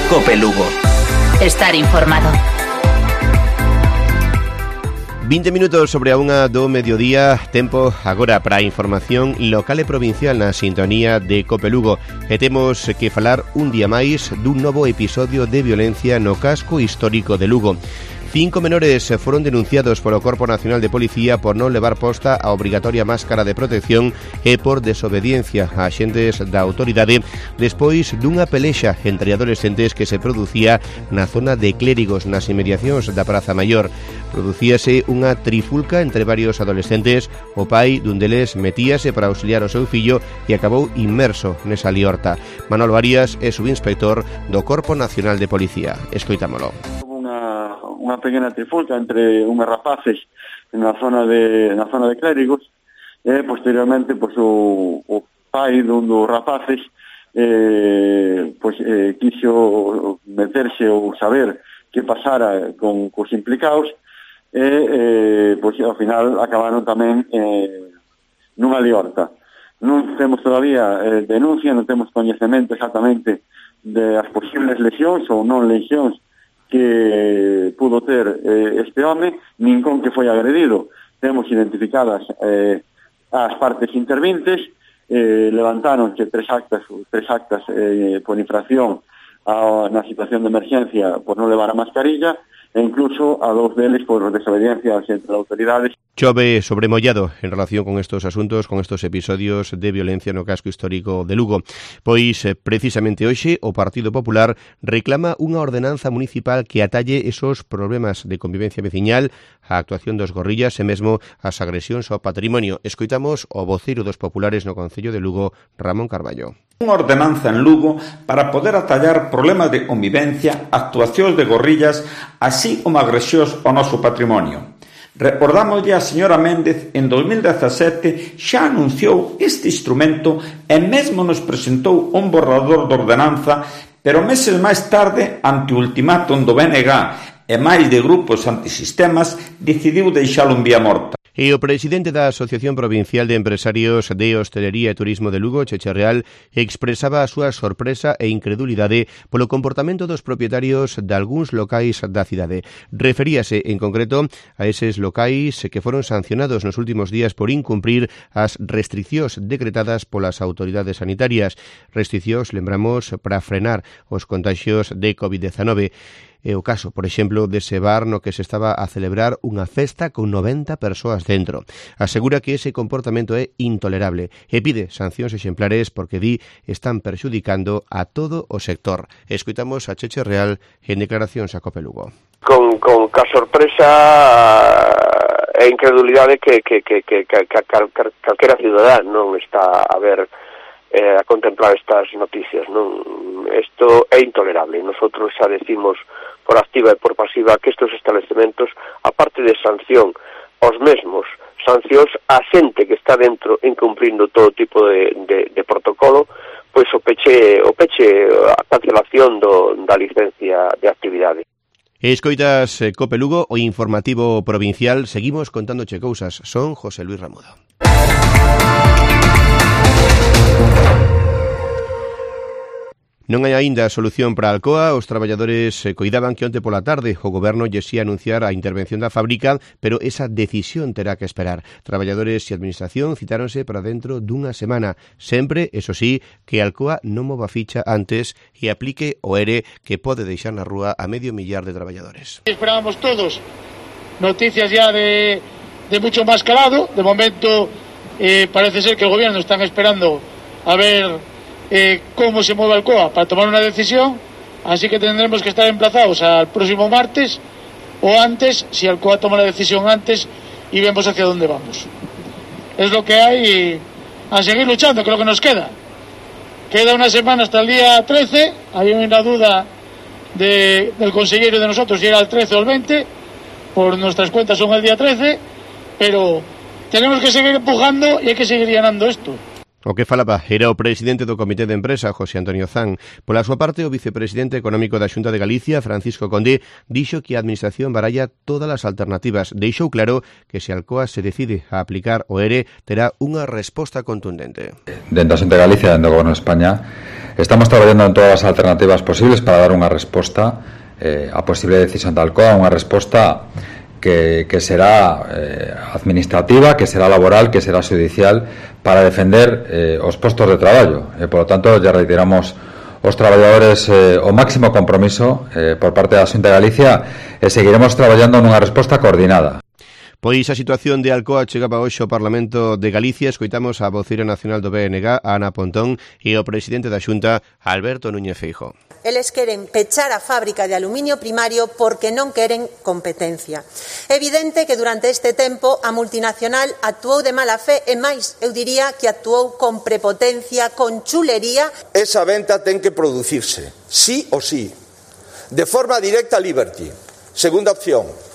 Cope Lugo. Estar informado. 20 minutos sobre a unha do mediodía, tempo agora para a información local e provincial na sintonía de Cope Lugo. E temos que falar un día máis dun novo episodio de violencia no casco histórico de Lugo. 5 menores foron denunciados polo Corpo Nacional de Policía por non levar posta a obrigatoria máscara de protección e por desobediencia a axentes da autoridade despois dunha pelexa entre adolescentes que se producía na zona de Clérigos, nas inmediacións da Praza Maior. Producíase unha trifulca entre varios adolescentes. O pai dun deles metíase para auxiliar o seu fillo e acabou inmerso nesa liorta. Manolo Arias é subinspector do Corpo Nacional de Policía. Escoitámolo. Unha pequena trifulca entre unhos rapaces na zona de Clérigos e posteriormente o pai dun dos rapaces quiso meterse ou saber que pasara cos implicados e ao final acabaron tamén nunha liorta. Non temos todavía denuncia, non temos coñecemento exactamente das posibles lesións ou non lesións que pudo ter este home, nin con que foi agredido. Temos identificadas as partes intervintes, levantáronse tres actas por infracción na situación de emergencia por non levar a mascarilla e incluso a dos deles por desobediencia entre autoridades. Chove sobremollado en relación con estos asuntos, con estos episodios de violencia no casco histórico de Lugo. Pois, precisamente hoxe, o Partido Popular reclama unha ordenanza municipal que atalle esos problemas de convivencia veciñal, a actuación dos gorrillas e mesmo as agresións ao patrimonio. Escoitamos o voceiro dos populares no Concello de Lugo, Ramón Carballo. Unha ordenanza en Lugo para poder atallar problemas de convivencia, actuacións de gorrillas, así como agresións ao noso patrimonio. Recordámoslle a señora Méndez en 2017 xa anunciou este instrumento e mesmo nos presentou un borrador de ordenanza, pero meses máis tarde, ante o ultimátum do BNG e máis de grupos antisistemas, decidiu deixalo en vía morta. E o presidente da Asociación Provincial de Empresarios de Hostelería e Turismo de Lugo, Cheche Real, expresaba a súa sorpresa e incredulidade polo comportamento dos propietarios de algúns locais da cidade. Referíase, en concreto, a eses locais que foron sancionados nos últimos días por incumprir as restriccións decretadas polas autoridades sanitarias. Restriccións, lembramos, para frenar os contagios de COVID-19. É o caso, por exemplo, dese bar no que se estaba a celebrar unha festa con 90 persoas dentro. Asegura que ese comportamento é intolerable e pide sancións exemplares porque di están perxudicando a todo o sector. Escoitamos a Cheche Real en declaracións a Cope Lugo. Con ca sorpresa e incredulidade que calquera cidadán non está a ver a contemplar estas noticias, non? Isto é intolerable. Nosotros xa decimos por activa e por pasiva que estes establecementos, aparte de sanción aos mesmos, sancións a xente que está dentro incumplindo todo tipo de protocolo, pois o peche a cancelación da licencia de actividade. Escoitas Cope Lugo, o informativo provincial. Seguimos contándoche cousas. Son José Luis Ramudo. Non hai aínda solución para Alcoa. Os traballadores coidaban que onte pola tarde o goberno lle xía anunciar a intervención da fábrica, pero esa decisión terá que esperar. Traballadores e administración citáronse para dentro dunha semana. Sempre, eso sí, que Alcoa non mova ficha antes e aplique o ERE que pode deixar na rúa a 500.000 de traballadores. Esperábamos todos noticias ya de mucho más calado. De momento parece ser que el gobierno están esperando a ver cómo se mueve Alcoa para tomar una decisión, así que tendremos que estar emplazados al próximo martes o antes, si Alcoa toma la decisión antes, y vemos hacia dónde vamos. Es lo que hay y a seguir luchando, que es lo que nos queda. Queda una semana hasta el día 13, hay una duda del consejero de nosotros si era el 13 o el 20, por nuestras cuentas son el día 13, pero tenemos que seguir empujando y hay que seguir llenando esto. O que falaba era o presidente do Comité de Empresa, José Antonio Zan. Pola súa parte, o vicepresidente económico da Xunta de Galicia, Francisco Conde, dixo que a administración baralla todas as alternativas. Deixou claro que se Alcoa se decide a aplicar o ERE, terá unha resposta contundente. Dentro da Xunta de Galicia, dentro do Goberno de España, Estamos traballando en todas as alternativas posibles para dar unha resposta a posible decisión da Alcoa, unha resposta que será administrativa, que será laboral, que será judicial, para defender os postos de traballo. Por lo tanto, ya reiteramos os traballadores o máximo compromiso por parte da Xunta de Galicia e seguiremos traballando nunha resposta coordinada. Pois a situación de Alcoa chegaba hoxe ao Parlamento de Galicia. Escoitamos a voceira nacional do BNG, Ana Pontón, e o presidente da Xunta, Alberto Núñez Feijóo. Eles queren pechar a fábrica de aluminio primario porque non queren competencia. É evidente que durante este tempo a multinacional actuou de mala fe e máis, eu diría que actuou con prepotencia, con chulería. Esa venta ten que producirse, sí o sí, de forma directa a Liberty. Segunda opción.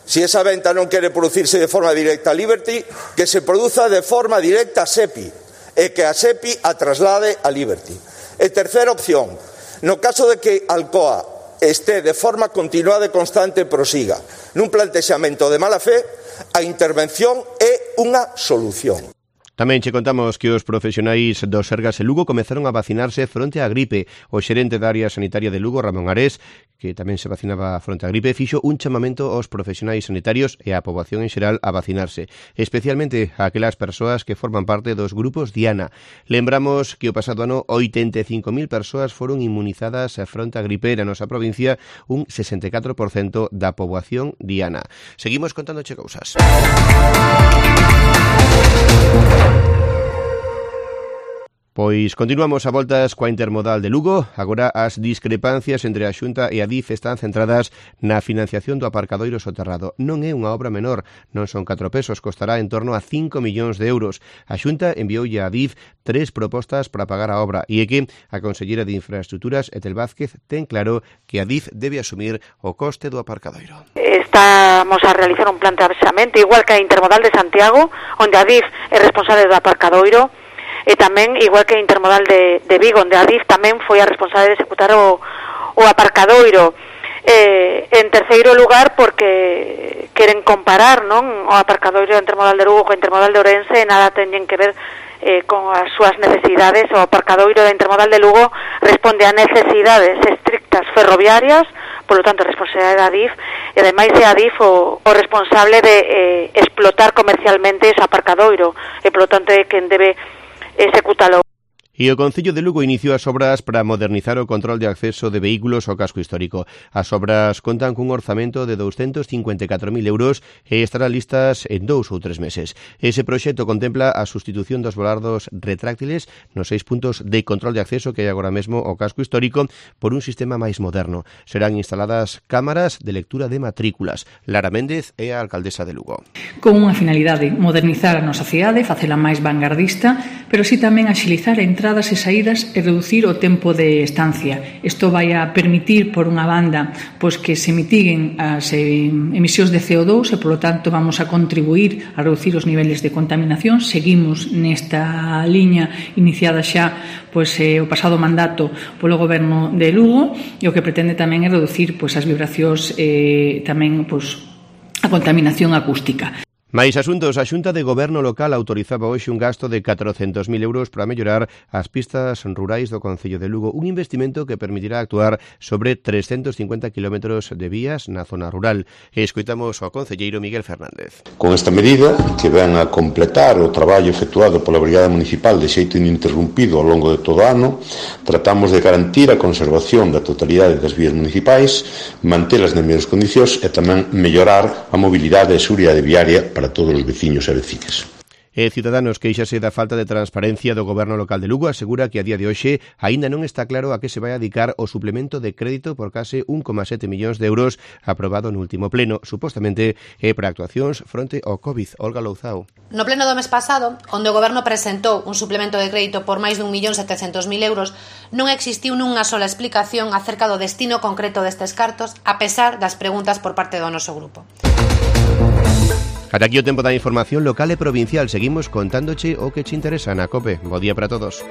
Si esa venta non quere producirse de forma directa a Liberty, que se produza de forma directa a SEPI e que a SEPI a traslade a Liberty. E terceira opción, no caso de que Alcoa este de forma continuada e constante prosiga nun plantexamento de mala fe, a intervención é unha solución. Tamén che contamos que os profesionais do Sergas e Lugo comezaron a vacinarse fronte á gripe. O xerente da área sanitaria de Lugo, Ramón Arés, que tamén se vacinaba fronte á gripe, fixo un chamamento aos profesionais sanitarios e á poboación en xeral a vacinarse, especialmente a aquelas persoas que forman parte dos grupos Diana. Lembramos que o pasado ano 85.000 persoas foron inmunizadas fronte á gripe na nosa provincia, un 64% da poboación Diana. Seguimos contándoche cousas. Pois continuamos a voltas coa intermodal de Lugo. Agora as discrepancias entre a Xunta e a DIF están centradas na financiación do aparcadoiro soterrado. Non é unha obra menor, non son 4 pesos, costará en torno a 5 millóns de euros. A Xunta envioulle a DIF 3 propostas para pagar a obra e é que a conselleira de Infraestructuras, Etel Vázquez, ten claro que a DIF debe asumir o coste do aparcadoiro. Estamos a realizar un planteamento igual que a intermodal de Santiago, onde a DIF é responsable do aparcadoiro, e tamén, igual que a intermodal de Vigo, onde a DIF tamén foi a responsable de executar o aparcadoiro. En terceiro lugar, porque queren comparar, non, o aparcadoiro da intermodal de Lugo co intermodal de Ourense, e nada teñen que ver con as súas necesidades. O aparcadoiro da intermodal de Lugo responde a necesidades estrictas ferroviarias, polo tanto, responsabilidade da DIF, e ademais é a DIF o responsable de explotar comercialmente ese aparcadoiro, e polo tanto é quen debe execútalo. E o Concello de Lugo iniciou as obras para modernizar o control de acceso de vehículos ao casco histórico. As obras contan cun orzamento de 254.000 euros e estarán listas en 2 ou 3 meses. Ese proxecto contempla a sustitución dos volardos retráctiles nos 6 puntos de control de acceso que hai agora mesmo ao casco histórico por un sistema máis moderno. Serán instaladas cámaras de lectura de matrículas. Lara Méndez é a alcaldesa de Lugo. Con unha finalidade, modernizar a nosa cidade, facela máis vanguardista, pero si tamén axilizar a entradas e saídas e reducir o tempo de estancia. Isto vai a permitir, por unha banda, pois que se mitiguen as emisións de CO2 e, polo tanto, vamos a contribuir a reducir os niveles de contaminación. Seguimos nesta liña iniciada xa pois o pasado mandato polo Goberno de Lugo, e o que pretende tamén é reducir pois as vibracións e tamén pois a contaminación acústica. Mais asuntos, a Xunta de Goberno Local autorizaba hoxe un gasto de 400.000 euros para mellorar as pistas rurais do Concello de Lugo, un investimento que permitirá actuar sobre 350 kilómetros de vías na zona rural. E escoitamos ao concelleiro Miguel Fernández. Con esta medida, que ven a completar o traballo efectuado pola Brigada Municipal de xeito ininterrumpido ao longo de todo o ano, tratamos de garantir a conservación da totalidade das vías municipais, mantelas nas mellores condicións e tamén mellorar a mobilidade e seguridade viaria para todos os veciños e vecinas. E Ciudadanos queixase da falta de transparencia do Goberno Local de Lugo, asegura que a día de hoxe aínda non está claro a que se vai a dedicar o suplemento de crédito por case 1,7 millóns de euros aprobado no último pleno, supostamente é para actuacións fronte ao COVID. Olga Louzao. No pleno do mes pasado, onde o Goberno presentou un suplemento de crédito por máis de 1.700.000 euros, non existiu nunha sola explicación acerca do destino concreto destes cartos, a pesar das preguntas por parte do noso grupo. Ata aquí o tempo da información local e provincial. Seguimos contándoche o que che interesa na COPE. Bo día para todos.